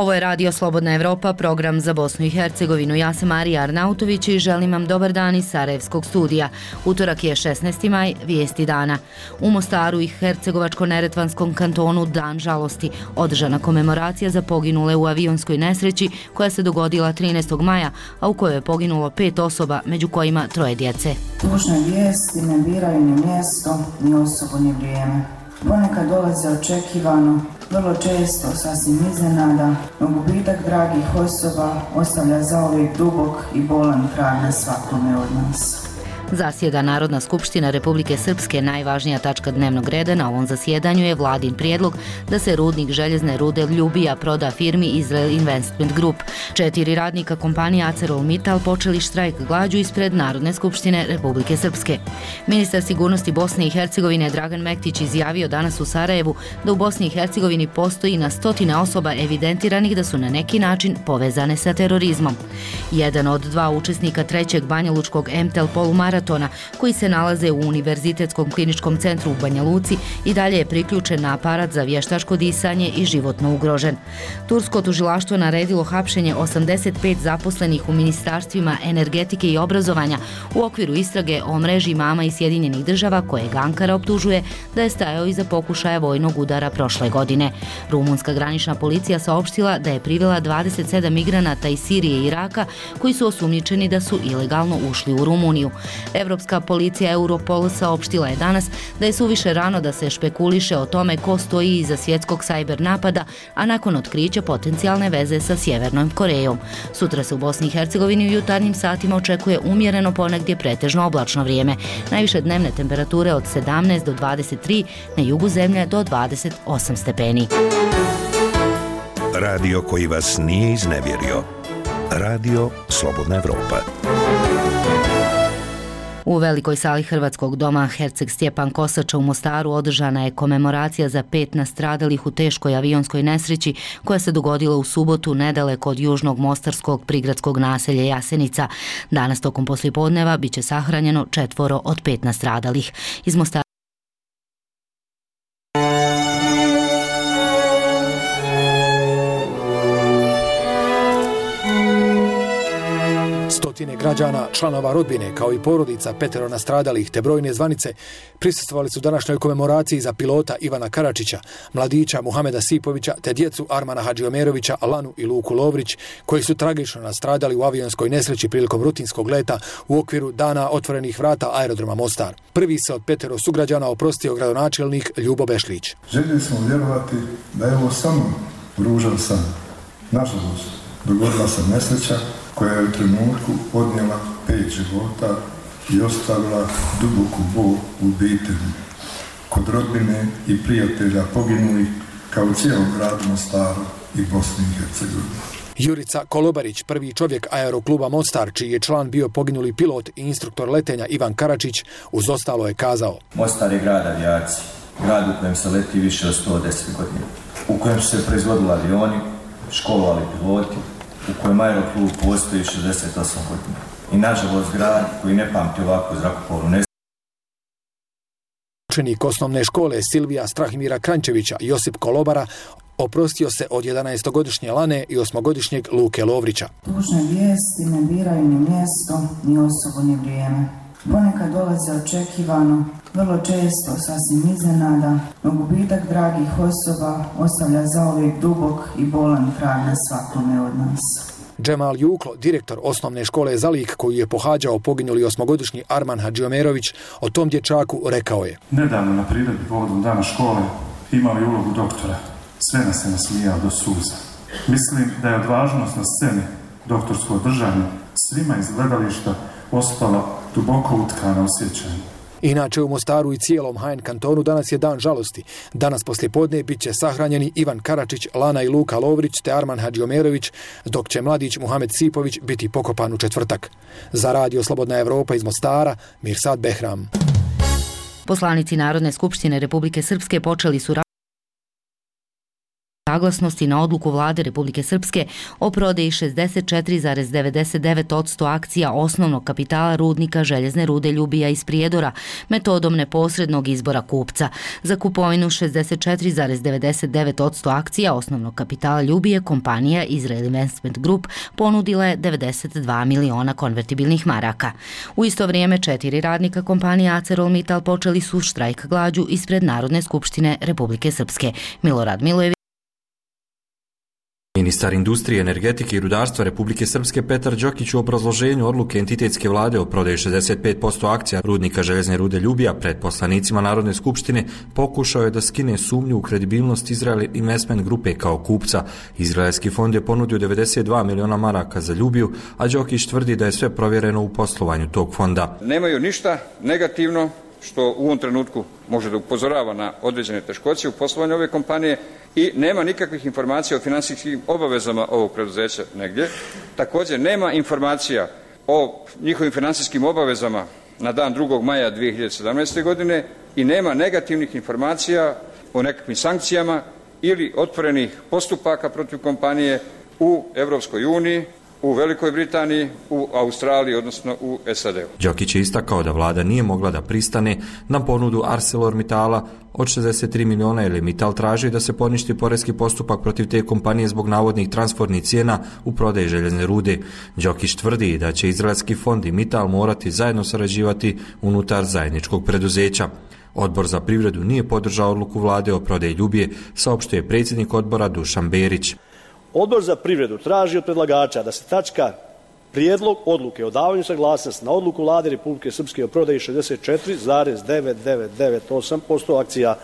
Ovo je Radio Slobodna Evropa, program za Bosnu i Hercegovinu. Ja sam Marija Arnautović i želim vam dobar dan iz Sarajevskog studija. Utorak je 16. maj, vijesti dana. U Mostaru i Hercegovačko-Neretvanskom kantonu Dan žalosti. Održana komemoracija za poginule u avionskoj nesreći koja se dogodila 13. maja, a u kojoj je poginulo 5 osoba, među kojima 3 djece. Tužne vijesti ne biraju ni mjesto, ni osobu, ni vrijeme. Ponekad dolaze očekivano, vrlo često sasvim iznenada, no gubitak dragih osoba ostavlja zauvijek dubok i bolan trag na svakome od nas. Zasjeda Narodna skupština Republike Srpske. Najvažnija tačka dnevnog reda na ovom zasjedanju je vladin prijedlog da se rudnik željezne rude Ljubija proda firmi Israel Investment Group. 4 radnika kompanije ArcelorMittal počeli štrajk glađu ispred Narodne skupštine Republike Srpske. Ministar sigurnosti Bosne i Hercegovine Dragan Mektić izjavio danas u Sarajevu da u Bosni i Hercegovini postoji na stotine osoba evidentiranih da su na neki način povezane sa terorizmom. Jedan od 2 učesnika 3. Banjalučkog MTEL polumaratona koji se nalaze u Univerzitetskom kliničkom centru u Banja Luci i dalje je priključen na aparat za vještačko disanje i životno ugrožen. Tursko tužilaštvo naredilo hapšenje 85 zaposlenih u ministarstvima energetike i obrazovanja u okviru istrage o mreži imama iz Sjedinjenih Država kojeg Ankara optužuje da je stajao iza pokušaja vojnog udara prošle godine. Rumunska granična policija saopštila da je privela 27 migranata iz Sirije i Iraka koji su osumnjičeni da su ilegalno ušli u Rumuniju. Evropska policija Europol saopštila je danas da je suviše rano da se špekuliše o tome ko stoji iza svjetskog sajber napada, a nakon otkrića potencijalne veze sa Sjevernom Korejom. Sutra se u Bosni i Hercegovini u jutarnjim satima očekuje umjereno, ponegdje pretežno oblačno vrijeme. Najviše dnevne temperature od 17 do 23, na jugu zemlje do 28 stepeni. Radio koji vas nije iznevjerio. Radio Slobodna Evropa. U velikoj sali Hrvatskog doma Herceg Stjepan Kosača u Mostaru održana je komemoracija za 5 nastradalih u teškoj avionskoj nesreći koja se dogodila u subotu nedaleko od južnog mostarskog prigradskog naselja Jasenica. Danas tokom poslijepodneva bit će sahranjeno 4 od 5 nastradalih. Iz Mostara Stotine građana, članova rodbine, kao i porodica 5 nastradalih te brojne zvanice prisustvovali su današnjoj komemoraciji za pilota Ivana Karačića, mladića Muhameda Sipovića te djecu Armana Hadžiomerovića, Lanu i Luku Lovrić, koji su tragično nastradali u avionskoj nesreći prilikom rutinskog leta u okviru Dana otvorenih vrata aerodroma Mostar. Prvi se od 5 sugrađana oprostio gradonačelnik Ljubo Bešlić. Željeli smo vjerovati da je ovo samo ružan san. Nažalost, dogodila se nesreća koja je u trenutku odnijela 5 života i ostavila duboku bol u obitelji, kod rodbine i prijatelja poginulih, kao u cijelom gradu Mostaru i Bosni i Hercegovini. Jurica Kolobarić, prvi čovjek aerokluba Mostar, čiji je član bio poginuli pilot i instruktor letenja Ivan Karačić, uz ostalo je kazao: Mostar je grad avijacije, grad u kojem se leti više od 110 godina, u kojem su se proizvodili avioni, školovali piloti, u kojem aeroklub postoji 68 godina. I nažalost grad koji ne pamti ovakvu zrakoplovnu nesreću. Učenik osnovne škole Silvija Strahimira Krančevića, Josip Kolobara, oprostio se od 11-godišnje Lane i 8-godišnjeg Luke Lovrića. Tužne vijesti ne biraju ni mjesto, ni osobu, ni vrijeme. Ponekad dolaze očekivano, vrlo često sasvim iznenada, no gubitak dragih osoba ostavlja zauvijek dubok i bolan trag na svakome od nas. Džemal Juklo, direktor osnovne škole Zalik, koju je pohađao poginuli 8-godišnji Arman Hadžiomerović, o tom dječaku rekao je: Nedavno na priredbi povodom dana škole imao je ulogu doktora. Sve nas se nasmijao do suza. Mislim da je odvažnost na sceni doktorskog držanja svima iz gledališta ostala duboko utkana u sjećanju. Inače u Mostaru i cijelom HN kantonu danas je dan žalosti. Danas poslijepodne bit će sahranjeni Ivan Karačić, Lana i Luka Lovrić te Arman Hadžiomerović, dok će mladić Muhamed Sipović biti pokopan u četvrtak. Za Radio Slobodna Evropa iz Mostara, Mirsad Behram. Poslanici Narodne skupštine Republike Srpske počeli su saglasnosti na odluku vlade Republike Srpske o prodaji 64,99% akcija osnovnog kapitala rudnika željezne rude Ljubija iz Prijedora metodom neposrednog izbora kupca. Za kupovinu 64,99% akcija osnovnog kapitala Ljubije kompanija Israel Investment Group ponudila je 92 miliona konvertibilnih maraka. U isto vrijeme 4 radnika kompanije ArcelorMittal počeli su štrajk glađu ispred Narodne skupštine Republike Srpske. Milorad Milojević. Ministar industrije, energetike i rudarstva Republike Srpske Petar Đokić u obrazloženju odluke entitetske vlade o prodaji 65% akcija rudnika željezne rude Ljubija pred poslanicima Narodne skupštine pokušao je da skine sumnju u kredibilnost Israel Investment grupe kao kupca. Izraelski fond je ponudio 92 miliona maraka za Ljubiju, a Đokić tvrdi da je sve provjereno u poslovanju tog fonda. Nemaju ništa negativno što u ovom trenutku može da upozorava na određene teškoće u poslovanju ove kompanije i nema nikakvih informacija o finansijskim obavezama ovog preduzeća negdje. Također nema informacija o njihovim financijskim obavezama na dan 2. maja 2017. godine i nema negativnih informacija o nekakvim sankcijama ili otvorenih postupaka protiv kompanije u Europskoj uniji, u Velikoj Britaniji, u Australiji, odnosno u SAD-u. Đokić je istakao da vlada nije mogla da pristane na ponudu ArcelorMittala od 63 miliona jer je Mittal traži da se poništi poreski postupak protiv te kompanije zbog navodnih transfernih cijena u prodaji željezne rude. Đokić tvrdi da će izraelski fond i Mittal morati zajedno sarađivati unutar zajedničkog preduzeća. Odbor za privredu nije podržao odluku vlade o prodaji Ljubije, saopštio je predsjednik odbora Dušan Berić. Odbor za privredu traži od predlagača da se tačka prijedlog odluke o davanju saglasnosti na odluku vlade Republike Srpske o prodaji 64,9998% akcija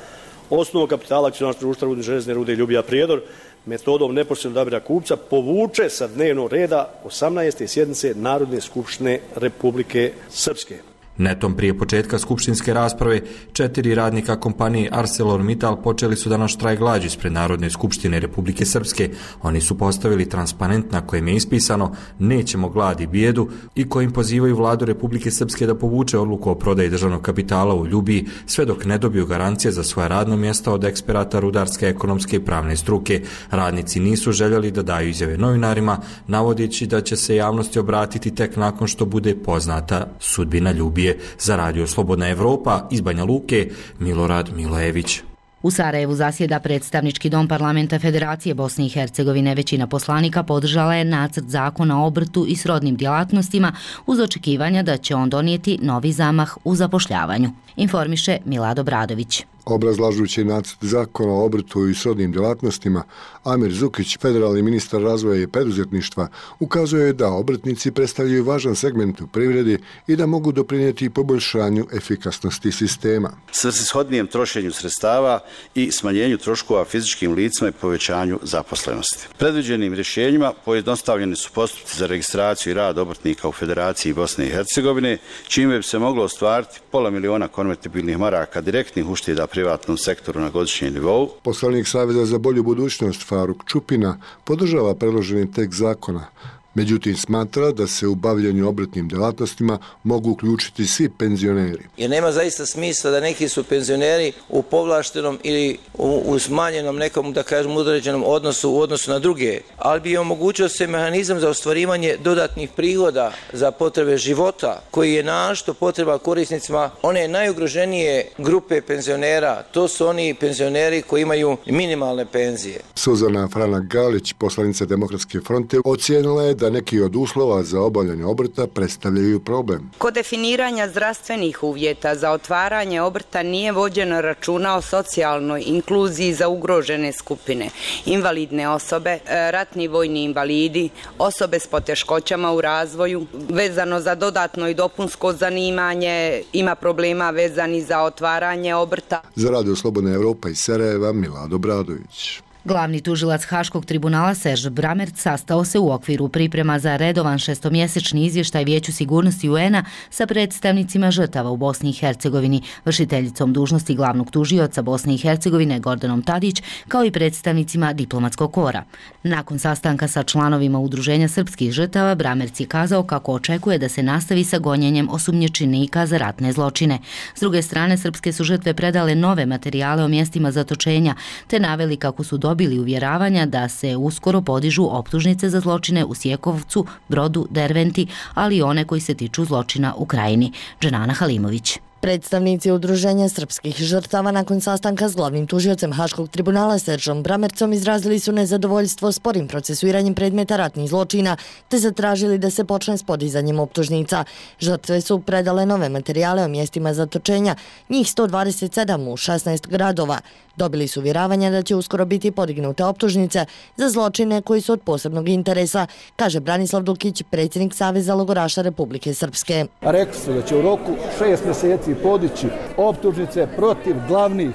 osnovnog kapitala akcionarskog društva rudne željezne rude Ljubija Prijedor metodom neposrednog odabira kupca povuče sa dnevnog reda 18. sjednice Narodne skupštine Republike Srpske. Netom prije početka skupštinske rasprave, 4 radnika kompanije ArcelorMittal počeli su danas štrajk glađu ispred Narodne skupštine Republike Srpske. Oni su postavili transparent na kojem je ispisano "Nećemo glad i bijedu" i kojim pozivaju vladu Republike Srpske da povuče odluku o prodaji državnog kapitala u Ljubiji sve dok ne dobiju garancije za svoja radna mjesta od eksperata rudarske, ekonomske i pravne struke. Radnici nisu željeli da daju izjave novinarima, navodeći da će se javnosti obratiti tek nakon što bude poznata sudbina Ljubije. Za Radio Slobodna Evropa iz Banja Luke, Milorad Milojević. U Sarajevu zasjeda predstavnički dom parlamenta Federacije Bosne i Hercegovine. Većina poslanika podržala je nacrt zakona o obrtu i srodnim djelatnostima uz očekivanja da će on donijeti novi zamah u zapošljavanju. Informiše Milad Obradović. Obrazlažući nacrt zakona o obrtu i srodnim djelatnostima, Amir Zukić, federalni ministar razvoja i preduzetništva, ukazuje da obrtnici predstavljaju važan segment u privredi i da mogu doprinijeti poboljšanju efikasnosti sistema. Svrsishodnijem trošenju sredstava i smanjenju troškova fizičkim licima i povećanju zaposlenosti. Predviđenim rješenjima pojednostavljeni su postupci za registraciju i rad obrtnika u Federaciji Bosne i Hercegovine, čime bi se moglo ostvariti pola miliona konvertibilnih maraka direktnih ušteda privatnom sektoru na godišnjem nivou. Poslanik Saveza za bolju budućnost Faruk Čupina podržava predloženi tekst zakona. Međutim, smatra da se u bavljenju obrtnim djelatnostima mogu uključiti svi penzioneri. Jer nema zaista smisla da neki su penzioneri u povlaštenom ili u smanjenom nekom, da kažem, određenom odnosu u odnosu na druge, ali bi omogućio se mehanizam za ostvarivanje dodatnih prihoda za potrebe života, koji je našto potreba korisnicima one najugroženije grupe penzionera. To su oni penzioneri koji imaju minimalne penzije. Suzana Franak-Galić, poslanica Demokratske fronte, ocijenila je da neki od uslova za obavljanje obrta predstavljaju problem. Kod definiranja zdravstvenih uvjeta za otvaranje obrta nije vođeno računa o socijalnoj inkluziji za ugrožene skupine, invalidne osobe, ratni vojni invalidi, osobe s poteškoćama u razvoju. Vezano za dodatno i dopunsko zanimanje ima problema vezani za otvaranje obrta. Za Radio Slobodna Evropa iz Sarajeva, Milad Obradović. Glavni tužilac Haškog tribunala Serž Bramert sastao se u okviru priprema za redovan šestomjesečni izvještaj Vijeću sigurnosti UN-a sa predstavnicima žrtava u Bosni i Hercegovini, vršiteljicom dužnosti glavnog tužioca Bosne i Hercegovine Gordanom Tadić, kao i predstavnicima diplomatskog kora. Nakon sastanka sa članovima Udruženja srpskih žrtava, Bramert je kazao kako očekuje da se nastavi sa gonjenjem osumnjičenika za ratne zločine. S druge strane, srpske su žrtve predale nove materijale o mjestima zatočenja, te naveli kako su dobili dobili uvjeravanja da se uskoro podižu optužnice za zločine u Sjekovcu, Brodu, Derventi, ali i one koji se tiču zločina u Krajini. Dženana Halimović. Predstavnici Udruženja srpskih žrtava nakon sastanka s glavnim tužiocem Haškog tribunala Seržom Bramercom izrazili su nezadovoljstvo sporim procesuiranjem predmeta ratnih zločina te zatražili da se počne s podizanjem optužnica. Žrtve su predale nove materijale o mjestima zatočenja, njih 127 u 16 gradova. Dobili su uvjeravanja da će uskoro biti podignute optužnice za zločine koji su od posebnog interesa, kaže Branislav Dukić, predsjednik Saveza logoraša Republike Srpske. Rekli su da će u roku 6 mjeseci podići optužnice protiv glavnih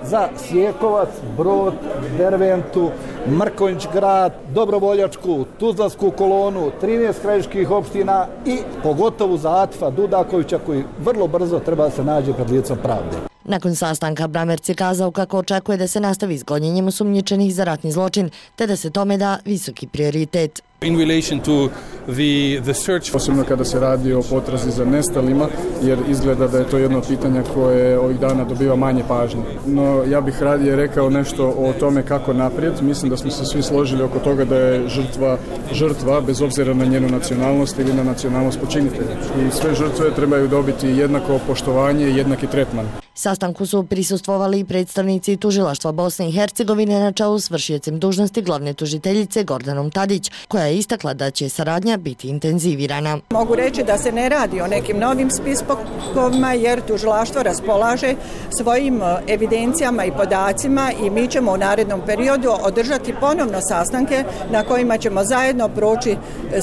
za Sjekovac, Brod, Derventu, Mrkonjić grad, Dobrovoljačku, Tuzlansku kolonu, 13 krajiških opština i pogotovo za Atifa Dudakovića koji vrlo brzo treba da se nađe pred licom pravde. Nakon sastanka Bramerc je kazao kako očekuje da se nastavi s gonjenjem osumnjičenih za ratni zločin, te da se tome da visoki prioritet. In relation to the search, posebno kada se radi o potrazi za nestalima, jer izgleda da je to jedno pitanje koje ovih dana dobiva manje pažnje. No ja bih radije rekao nešto o tome kako naprijed. Mislim da smo se svi složili oko toga da je žrtva bez obzira na njenu nacionalnost ili na nacionalnost počinitelja. I sve žrtve trebaju dobiti jednako poštovanje i jednaki tretman. Sastanku su prisustvovali i predstavnici tužilaštva Bosne i Hercegovine na čelu s vršiocem dužnosti glavne tužiteljice Gordanom Tadić, koja je istakla da će saradnja biti intenzivirana. Mogu reći da se ne radi o nekim novim spiskovima jer tužilaštvo raspolaže svojim evidencijama i podacima i mi ćemo u narednom periodu održati ponovno sastanke na kojima ćemo zajedno proći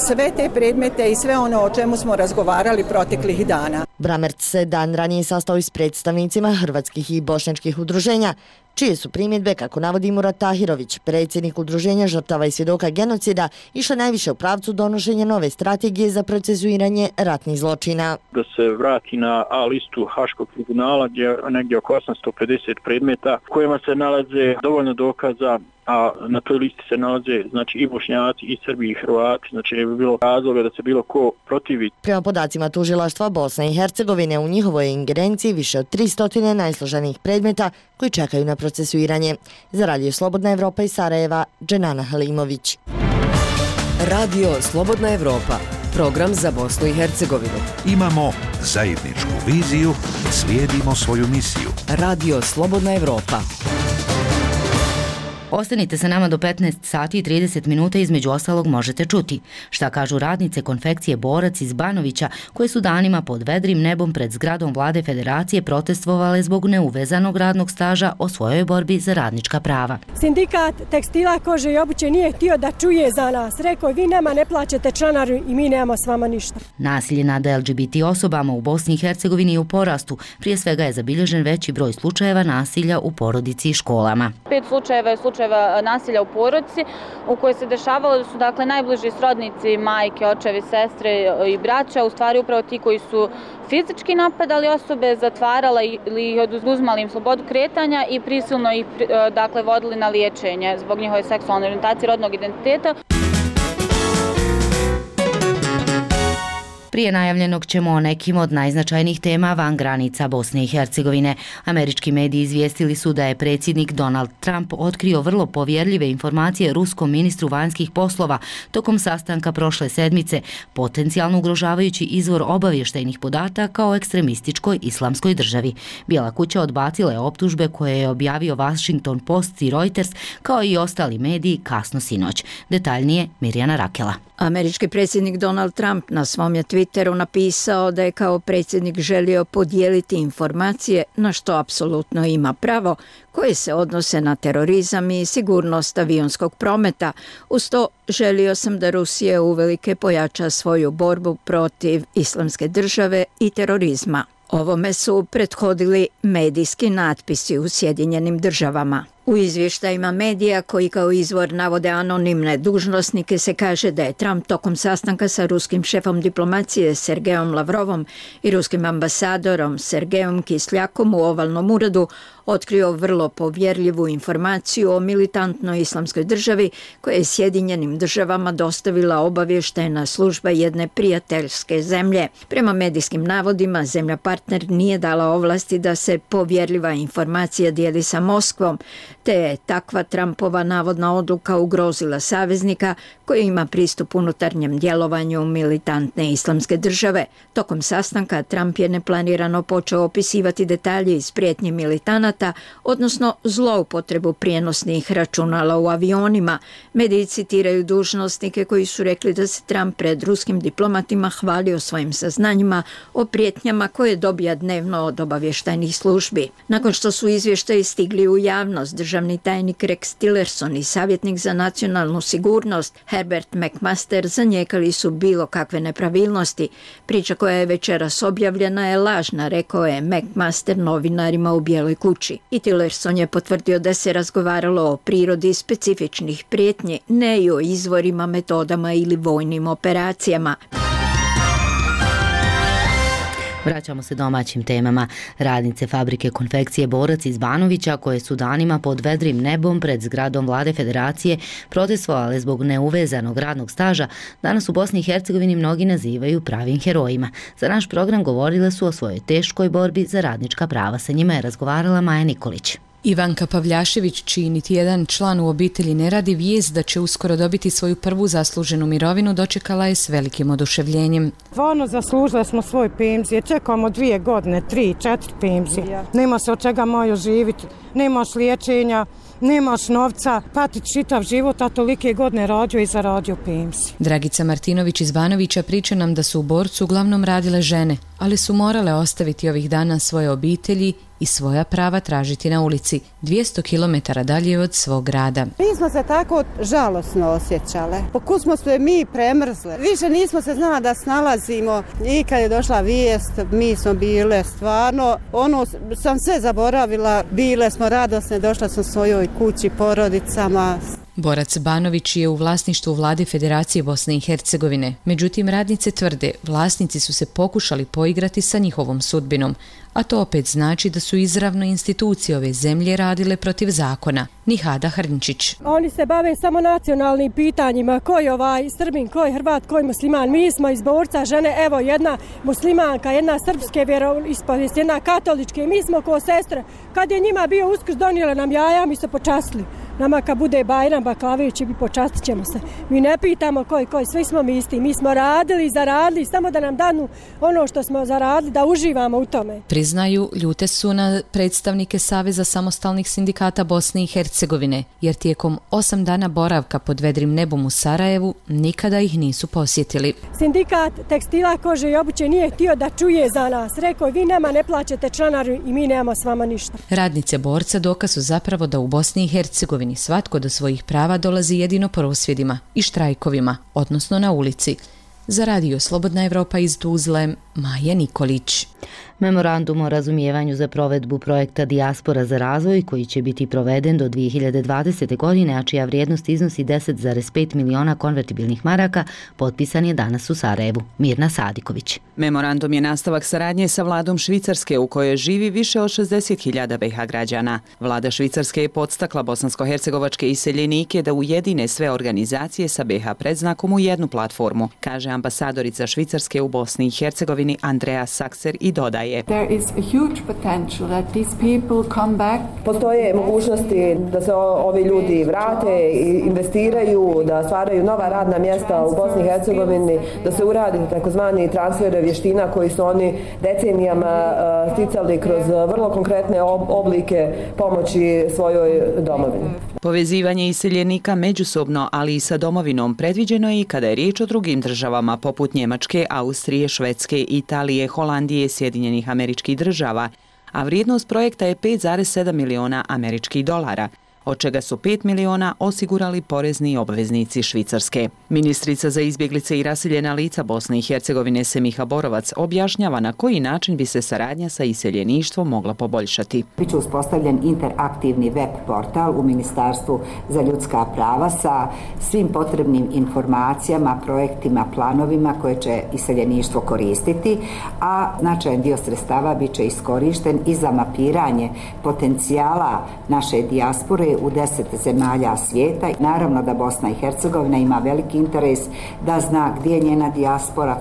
sve te predmete i sve ono o čemu smo razgovarali proteklih dana. Bramerc se dan ranije sastao i s predstavnicima hrvatskih i bošnjačkih udruženja, čije su primjedbe, kako navodi Murat Tahirović, predsjednik Udruženja žrtava i svjedoka genocida, išle najviše u pravcu donošenja nove strategije za procesuiranje ratnih zločina. Da se vrati na A listu Haškog tribunala gdje je negdje oko 850 predmeta kojima se nalaze dovoljno dokaza, a na toj listi se nalaze znači i Bošnjaci i Srbi i Hrvati, znači ne bi bilo razloga da se bilo ko protivi. Prema podacima tužilaštva Bosne i Hercegovine, u njihovoj ingerenciji više od 300 najsloženijih predmeta koji čekaju na procesuiranje. Za Radio Slobodna Evropa iz Sarajeva, Dženana Halimović. Radio Slobodna Evropa, program za Bosnu i Hercegovinu. Imamo zajedničku viziju, slijedimo svoju misiju. Radio Slobodna Evropa. Ostanite sa nama do 15 sati i 30 minuta, između ostalog možete čuti šta kažu radnice konfekcije Borac iz Banovića, koje su danima pod vedrim nebom pred zgradom Vlade Federacije protestovale zbog neuvezanog radnog staža o svojoj borbi za radnička prava. Sindikat tekstila, kože i obuće nije htio da čuje za nas. Rekao, vi nama ne plaćate članaru i mi nemamo s vama ništa. Nasilje nad LGBT osobama u Bosni i Hercegovini je u porastu. Prije svega je zabilježen veći broj slučajeva nasilja u porodici i školama. 5 slučajeva nasilja u porodici u kojoj se dešavalo da su dakle najbliži srodnici, majke, očevi, sestre i braća, u stvari upravo ti koji su fizički napadali osobe, zatvarali ili oduzimali im slobodu kretanja i prisilno ih dakle vodili na liječenje zbog njihove seksualne orijentacije, rodnog identiteta. Prije najavljenog ćemo o nekim od najznačajnijih tema van granica Bosne i Hercegovine. Američki mediji izvijestili su da je predsjednik Donald Trump otkrio vrlo povjerljive informacije ruskom ministru vanjskih poslova tokom sastanka prošle sedmice, potencijalno ugrožavajući izvor obavještajnih podataka o ekstremističkoj islamskoj državi. Bijela kuća odbacila je optužbe koje je objavio Washington Post i Reuters, kao i ostali mediji kasno sinoć. Detaljnije Mirjana Rakela. Američki predsjednik Donald Trump na svom je Twitteru napisao da je kao predsjednik želio podijeliti informacije, na što apsolutno ima pravo, koje se odnose na terorizam i sigurnost avionskog prometa. Uz to želio sam da Rusija uvelike pojača svoju borbu protiv islamske države i terorizma. Ovome su prethodili medijski natpisi u Sjedinjenim državama. U izvještajima medija koji kao izvor navode anonimne dužnosnike se kaže da je Trump tokom sastanka sa ruskim šefom diplomacije Sergejom Lavrovom i ruskim ambasadorom Sergejom Kisljakom u ovalnom uredu otkrio vrlo povjerljivu informaciju o militantnoj islamskoj državi koja je Sjedinjenim državama dostavila obavještajna služba jedne prijateljske zemlje. Prema medijskim navodima, zemlja partner nije dala ovlasti da se povjerljiva informacija dijeli sa Moskvom. te je takva Trumpova navodna odluka ugrozila saveznika koji ima pristup unutarnjem djelovanju militantne islamske države. Tokom sastanka Trump je neplanirano počeo opisivati detalje iz prijetnje militanata, odnosno zloupotrebu prijenosnih računala u avionima. Mediji citiraju dužnosnike koji su rekli da se Trump pred ruskim diplomatima hvalio svojim saznanjima o prijetnjama koje dobija dnevno od obavještajnih službi. Nakon što su izvještaji stigli u javnost, državni tajnik Rex Tillerson i savjetnik za nacionalnu sigurnost Herbert McMaster zanijekali su bilo kakve nepravilnosti. Priča koja je večeras objavljena je lažna, rekao je McMaster novinarima u Bijeloj kući. I Tillerson je potvrdio da se razgovaralo o prirodi specifičnih prijetnji, ne i o izvorima, metodama ili vojnim operacijama. Vraćamo se domaćim temama. Radnice fabrike konfekcije Borac iz Banovića, koje su danima pod vedrim nebom pred zgradom Vlade Federacije protestovale zbog neuvezanog radnog staža, danas u Bosni i Hercegovini mnogi nazivaju pravim herojima. Za naš program govorile su o svojoj teškoj borbi za radnička prava. Sa njima je razgovarala Maja Nikolić. Ivanka Pavljašević, čiji niti jedan član u obitelji ne radi, vijest da će uskoro dobiti svoju prvu zasluženu mirovinu dočekala je s velikim oduševljenjem. Stvarno zaslužile smo svoje penzije, čekamo 2 godine, 3, 4 penzije. Nema se od čega moju živjeti, nemaš liječenja, nemaš novca, patiti čitav život, a tolike godine radio i zaradio penziju. Dragica Martinović iz Banovića priča nam da su u Borcu uglavnom radile žene, ali su morale ostaviti ovih dana svoje obitelji i svoja prava tražiti na ulici, 200 km dalje od svog grada. Mi smo se tako žalosno osjećale. Pokud smo se mi premrzle. Više nismo se znali da snalazimo. I kad je došla vijest, mi smo bile stvarno, sam sve zaboravila. Bile smo radosne, došla sam svojoj kući, porodicama. Borac Banović je u vlasništvu Vlade Federacije Bosne i Hercegovine. Međutim, radnice tvrde, vlasnici su se pokušali poigrati sa njihovom sudbinom, a to opet znači da su izravno institucije ove zemlje radile protiv zakona. Nihada Hrnčić. Oni se bave samo nacionalnim pitanjima, ko je Srbin, ko je Hrvat, ko je musliman. Mi smo iz Borca žene, evo jedna muslimanka, jedna srpske vjeroispovijesti, jedna katoličke, mi smo ko sestre. Kad je njima bio Uskrs, donijele nam jaja, mi se počastili. Nama kad bude Bajram Baklavić, počastit ćemo se. Mi ne pitamo koji, svi smo mi isti. Mi smo radili i zaradili, samo da nam danu ono što smo zaradili, da uživamo u tome. Priznaju, ljute su na predstavnike Saveza samostalnih sindikata Bosne i Hercegovine, jer tijekom 8 dana boravka pod vedrim nebom u Sarajevu nikada ih nisu posjetili. Sindikat tekstila, kože i obuće nije htio da čuje za nas. Rekao, vi nama ne plaćate članaru i mi nemamo s vama ništa. Radnice Borca dokaz su zapravo da u Bosni i Hercegovini svatko do svojih prava dolazi jedino prosvjedima i štrajkovima, odnosno na ulici. Za Radio Slobodna Evropa iz Tuzle, Maja Nikolić. Memorandum o razumijevanju za provedbu projekta Dijaspora za razvoj, koji će biti proveden do 2020. godine, a čija vrijednost iznosi 10,5 miliona konvertibilnih maraka, potpisan je danas u Sarajevu. Mirna Sadiković. Memorandum je nastavak saradnje sa vladom Švicarske, u kojoj živi više od 60.000 BiH građana. Vlada Švicarske je podstakla bosansko-hercegovačke iseljenike da ujedine sve organizacije sa BiH predznakom u jednu platformu, kaže ambasadorica Švicarske u Bosni i Hercegovini Andrea Sakser i dodaje. Postoje mogućnosti da se ovi ljudi vrate, investiraju, da stvaraju nova radna mjesta u Bosni i Hercegovini, da se uradi takozvani transfer vještina koji su oni decenijama sticali kroz vrlo konkretne oblike pomoći svojoj domovini. Povezivanje iseljenika međusobno, ali i sa domovinom predviđeno je i kada je riječ o drugim državama poput Njemačke, Austrije, Švedske, Italije, Holandije, Sjedinjenih Američkih Država, a vrijednost projekta je 5,7 miliona američkih dolara, od čega su 5 miliona osigurali porezni obveznici Švicarske. Ministrica za izbjeglice i raseljena lica Bosne i Hercegovine Semiha Borovac objašnjava na koji način bi se saradnja sa iseljeništvom mogla poboljšati. Biće uspostavljen interaktivni web portal u Ministarstvu za ljudska prava sa svim potrebnim informacijama, projektima, planovima koje će iseljeništvo koristiti, a značajan dio sredstava biće iskorišten i za mapiranje potencijala naše dijaspore u 10 zemalja svijeta. Naravno da Bosna i Hercegovina ima veliki interes da zna gdje je njena dijaspora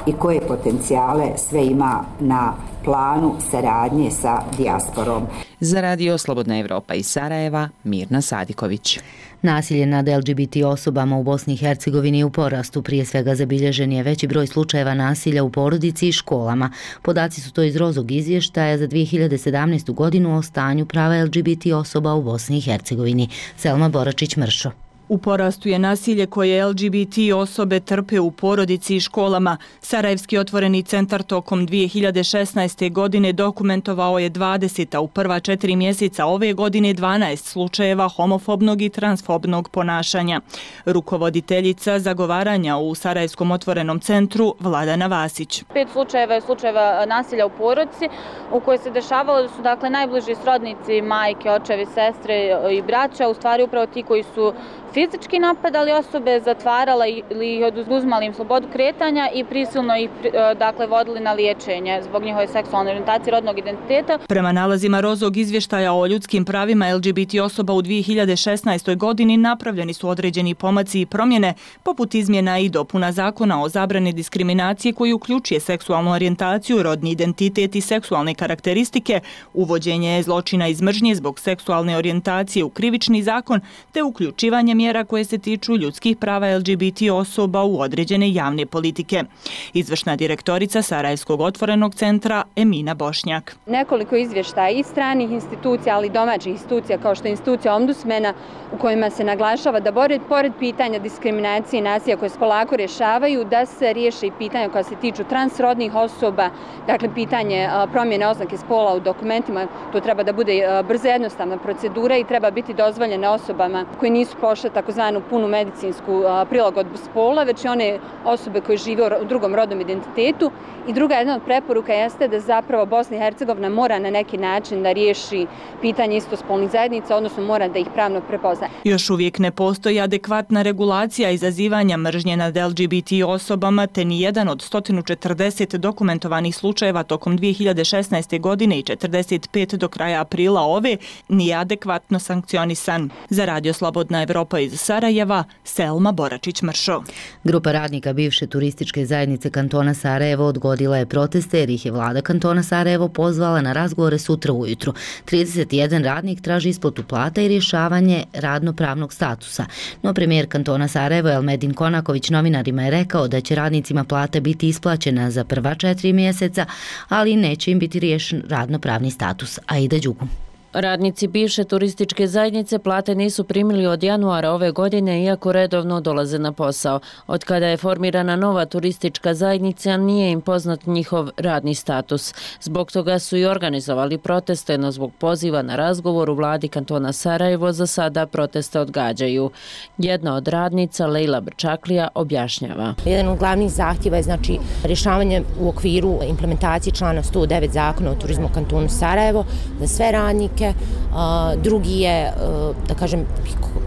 i koje potencijale sve ima na planu saradnje sa dijasporom. Za Radio Slobodna Evropa iz Sarajeva, Mirna Sadiković. Nasilje nad LGBT osobama u Bosni i Hercegovini u porastu. Prije svega zabilježen je veći broj slučajeva nasilja u porodici i školama. Podaci su to iz Rozog izvještaja za 2017. godinu o stanju prava LGBT osoba u Bosni i Hercegovini. Selma Boračić-Mršo. U porastu je nasilje koje LGBT osobe trpe u porodici i školama. Sarajevski otvoreni centar tokom 2016. godine dokumentovao je 20, a u prva 4 mjeseca ove godine 12 slučajeva homofobnog i transfobnog ponašanja. Rukovoditeljica zagovaranja u Sarajevskom otvorenom centru Vladana Vasić. 5 slučajeva je slučajeva nasilja u porodici u kojoj se dešavalo da su najbliži srodnici, majke, očevi, sestre i braća, u stvari upravo ti koji su fizički napadali osobe, zatvarala ili oduzimali im slobodu kretanja i prisilno ih vodili na liječenje zbog njihove seksualne orijentacije, rodnog identiteta. Prema nalazima Rozog izvještaja o ljudskim pravima LGBT osoba u 2016. godini napravljeni su određeni pomaci i promjene, poput izmjena i dopuna zakona o zabrani diskriminacije koji uključuje seksualnu orijentaciju, rodni identitet i seksualne karakteristike, uvođenje zločina iz mržnje zbog seksualne orijentacije u krivični zakon, te uključivanje mjera koje se tiču ljudskih prava LGBT osoba u određene javne politike. Izvršna direktorica Sarajevskog otvorenog centra Emina Bošnjak. Nekoliko izvještaja i stranih institucija, ali i domaćih institucija kao što je institucija ombudsmena u kojima se naglašava da pored pitanja diskriminacije i nasilja koje se polako rješavaju, da se riješe i pitanja koja se tiču transrodnih osoba, dakle pitanje promjene oznake spola u dokumentima, to treba da bude brza jednostavna procedura i treba biti dozvoljene osobama koji nisu pošle takozvanu punu medicinsku prilagodbu spola, već i one osobe koje žive u drugom rodnom identitetu. I druga jedna od preporuka jeste da zapravo Bosna i Hercegovina mora na neki način da riješi pitanje istospolnih zajednica, odnosno mora da ih pravno prepozna. Još uvijek ne postoji adekvatna regulacija izazivanja mržnje nad LGBT osobama, te ni jedan od 140 dokumentovanih slučajeva tokom 2016. godine i 45 do kraja aprila ove nije adekvatno sankcionisan. Za Radio Slobodna Evropa iz Sarajeva, Selma Boračić-Mršo. Grupa radnika bivše turističke zajednice kantona Sarajevo odgodila je proteste jer ih je vlada kantona Sarajevo pozvala na razgovore sutra ujutru. 31 radnik traži isplatu plata i rješavanje radno-pravnog statusa. No premijer kantona Sarajevo Elmedin Konaković novinarima je rekao da će radnicima plata biti isplaćena za prva 4 mjeseca, ali neće im biti riješen radno-pravni status. Aida Đugum. Radnici bivše turističke zajednice plate nisu primili od januara ove godine, iako redovno dolaze na posao. Od kada je formirana nova turistička zajednica, nije im poznat njihov radni status. Zbog toga su i organizovali proteste, no zbog poziva na razgovor u vladi kantona Sarajevo za sada proteste odgađaju. Jedna od radnica, Lejla Brčaklija, objašnjava. Jedan od glavnih zahtjeva je rješavanje u okviru implementacije člana 109 zakona o turizmu kantonu Sarajevo za sve radnike. Drugi je,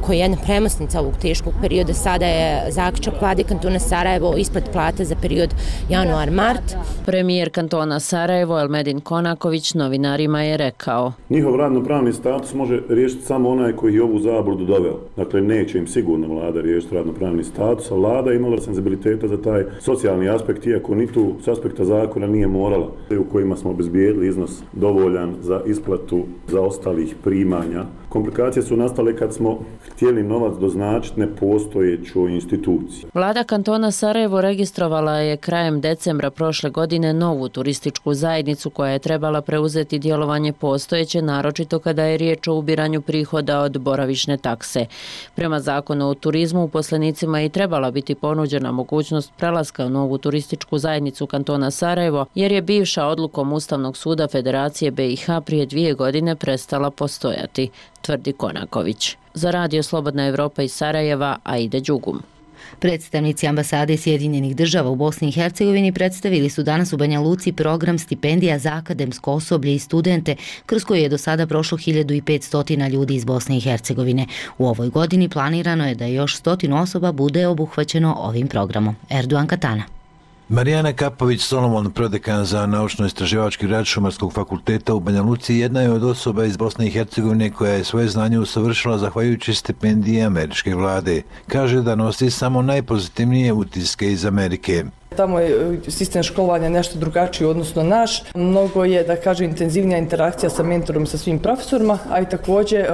koji je jedna premosnica ovog teškog perioda, sada je zaključak vlade kantona Sarajevo isplati plata za period januar-mart. Premijer kantona Sarajevo Elmedin Konaković novinarima je rekao: njihov radno-pravni status može riješiti samo onaj koji je ovu zabludu doveo. Dakle, neće im sigurno vlada riješiti radno-pravni status, a vlada je imala senzibiliteta za taj socijalni aspekt, iako ni tu s aspekta zakona nije morala, u kojima smo obezbijedili iznos dovoljan za isplatu za ostalih primanja. Komplikacije su nastale kad smo htjeli novac doznačiti nepostojećoj instituciji. Vlada kantona Sarajevo registrovala je krajem decembra prošle godine novu turističku zajednicu koja je trebala preuzeti djelovanje postojeće, naročito kada je riječ o ubiranju prihoda od boravišne takse. Prema zakonu o turizmu uposlenicima je trebala biti ponuđena mogućnost prelaska u novu turističku zajednicu kantona Sarajevo, jer je bivša odlukom Ustavnog suda Federacije BiH prije 2 godine prestala postojati, tvrdi Konaković. Za Radio Slobodna Evropa iz Sarajeva, Aida Đugum. Predstavnici ambasade Sjedinjenih država u Bosni i Hercegovini predstavili su danas u Banja Luci program stipendija za akademsko osoblje i studente, kroz koji je do sada prošlo 1500 ljudi iz Bosne i Hercegovine. U ovoj godini planirano je da još 100 osoba bude obuhvaćeno ovim programom. Erdogan Katana. Marijana Kapović-Solomon, prodekan za naučno-istraživački rad Šumarskog fakulteta u Banja Luci, jedna je od osoba iz Bosne i Hercegovine koja je svoje znanje usavršila zahvaljujući stipendije američke vlade. Kaže da nosi samo najpozitivnije utiske iz Amerike. Tamo je sistem školovanja nešto drugačiji odnosno naš. Mnogo je, da kažem, intenzivnija interakcija sa mentorom i sa svim profesorima, a i također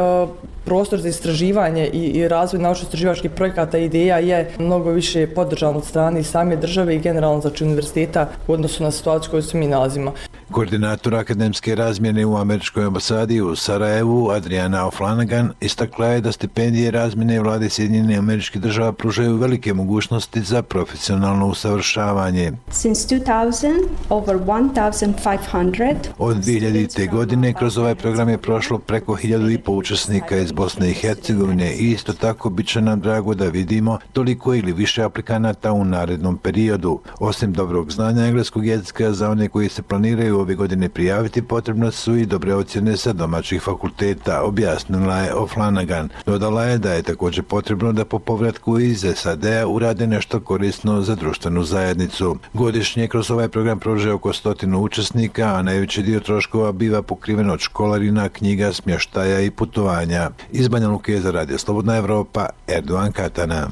prostor za istraživanje i razvoj naučno-istraživačkih projekata i ideja je mnogo više podržan od strane same države i generalno znači univerziteta u odnosu na situaciju koju se mi nalazimo. Koordinator akademske razmjene u američkoj ambasadi u Sarajevu, Adriana O'Flanagan, istakla je da stipendije razmjene vlade Sjedinjenih Američkih Država pružaju velike mogućnosti za profesionalno usavršavanje. Since 2000, over 1500. Od 2000. godine kroz ovaj program je prošlo preko 1500 učesnika iz Bosne i Hercegovine i isto tako bit će nam drago da vidimo toliko ili više aplikanata u narednom periodu. Osim dobrog znanja engleskog jezika za one koji se planiraju ove godine prijaviti, potrebno su i dobre ocjene sa domaćih fakulteta, objasnila je O'Flanagan. Dodala je da je također potrebno da po povratku iz SAD-a urade nešto korisno za društvenu zajednicu. Godišnje kroz ovaj program prođe oko 100 učesnika, a najveći dio troškova biva pokriven od školarina, knjiga, smještaja i putovanja. Iz Banja Luke za Radio Slobodna Evropa, Erdogan Katana.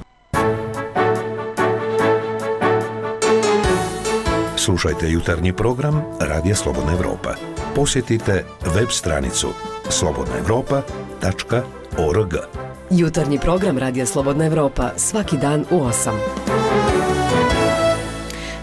Slušajte jutarnji program Radija Slobodna Evropa. Posjetite web stranicu slobodnaevropa.org. Jutarnji program Radija Slobodna Evropa svaki dan u 8.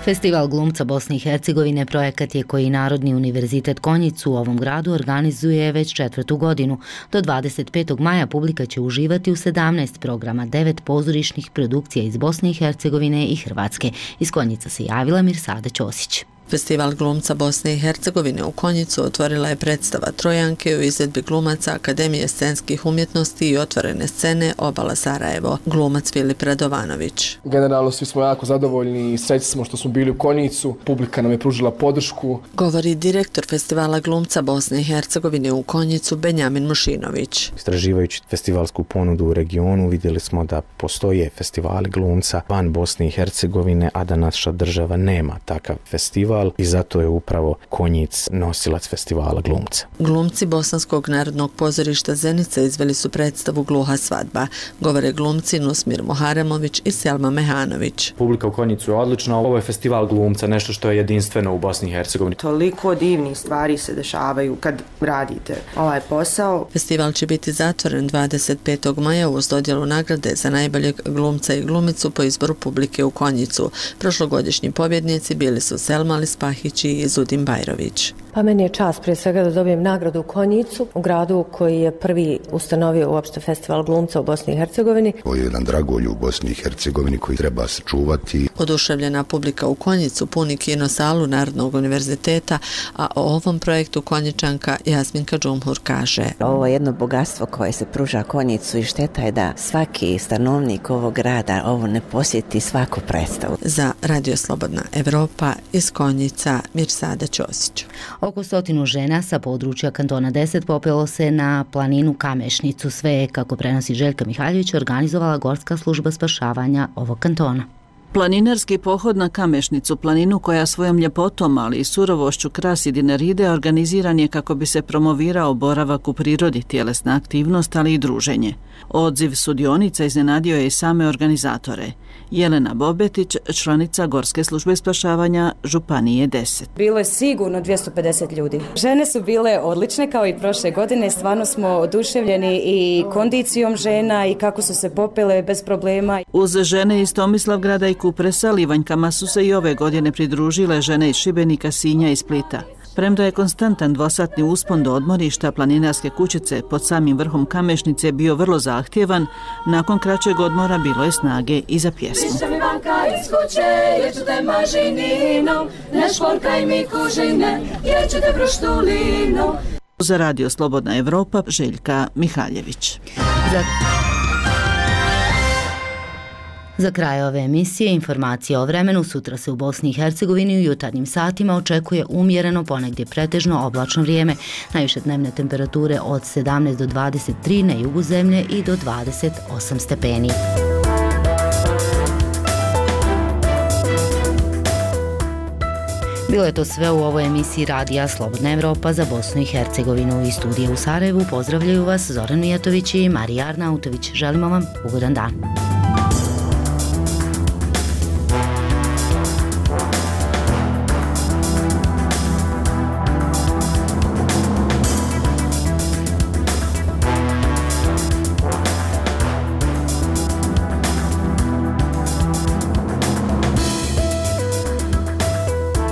Festival glumca Bosne i Hercegovine projekat je koji Narodni univerzitet Konjic u ovom gradu organizuje već 4. godinu. Do 25. maja publika će uživati u 17 programa, 9 pozorišnih produkcija iz Bosne i Hercegovine i Hrvatske. Iz Konjica se javila Mirsada Ćosić. Festival glumca Bosne i Hercegovine u Konjicu otvorila je predstava Trojanke u izvedbi glumaca Akademije scenskih umjetnosti i otvorene scene Obala Sarajevo, glumac Filip Radovanović. Generalno svi smo jako zadovoljni i srećni smo što smo bili u Konjicu, publika nam je pružila podršku. Govori direktor Festivala glumca Bosne i Hercegovine u Konjicu Benjamin Mušinović. Istraživajući festivalsku ponudu u regionu vidjeli smo da postoje festivali glumca van Bosne i Hercegovine, a da naša država nema takav festival. I zato je upravo Konjic nosilac festivala glumca. Glumci Bosanskog narodnog pozorišta Zenica izveli su predstavu Gluha svadba. Govore glumci Nusmir Moharemović i Selma Mehanović. Publika u Konjicu je odlična. Ovo je festival glumca, nešto što je jedinstveno u Bosni i Hercegovini. Toliko divnih stvari se dešavaju kad radite ovaj posao. Festival će biti zatvoren 25. maja uz dodjelu nagrade za najboljeg glumca i glumicu po izboru publike u Konjicu. Prošlogodišnji pobjednici bili su Selma Spahić i Zudin Bajrović. Pa meni je čast prije svega da dobijem nagradu u Konjicu, u gradu koji je prvi ustanovio uopšte festival glumca u Bosni i Hercegovini. Ovo je jedan dragolj u Bosni i Hercegovini koji treba sačuvati. Oduševljena publika u Konjicu puni kinosalu Narodnog univerziteta, a o ovom projektu Konjičanka Jasminka Džumhur kaže: Ovo je jedno bogatstvo koje se pruža Konjicu i šteta je da svaki stanovnik ovog grada ovo ne posjeti svaku predstavu. Za Radio Slobodna Evropa iz Konjica, Mirsada Ćosić. Oko 100 žena sa područja kantona 10 popelo se na planinu Kamešnicu. Sve je, kako prenosi Željka Mihaljević, organizovala Gorska služba spašavanja ovog kantona. Planinarski pohod na Kamešnicu, planinu koja svojom ljepotom, ali i surovošću krasi Dinaride, organiziran je kako bi se promovirao boravak u prirodi, tjelesna aktivnost, ali i druženje. Odziv sudionica iznenadio je i same organizatore. Jelena Bobetić, članica Gorske službe spašavanja Županije 10. Bilo je sigurno 250 ljudi. Žene su bile odlične kao i prošle godine. Stvarno smo oduševljeni i kondicijom žena i kako su se popele bez problema. Uz žene iz Tomislavgrada i Kupresa, Livanjkama su se i ove godine pridružile žene iz Šibenika, Sinja i Splita. Premda je konstantan dvosatni uspon do odmorišta planinarske kućice pod samim vrhom Kamešnice bio vrlo zahtjevan, nakon kraćeg odmora bilo je snage i za pjesmu. Za Radio Slobodna Evropa, Željka Mihaljević. Za kraj ove emisije informacije o vremenu. Sutra se u Bosni i Hercegovini u jutarnjim satima očekuje umjereno, ponegdje pretežno oblačno vrijeme. Najviše dnevne temperature od 17 do 23 na jugu zemlje i do 28 stepeni. Bilo je to sve u ovoj emisiji Radija Slobodna Evropa za Bosnu i Hercegovinu. Iz studija u Sarajevu pozdravljaju vas Zoran Mijatović i Marija Arnautović. Želimo vam ugodan dan.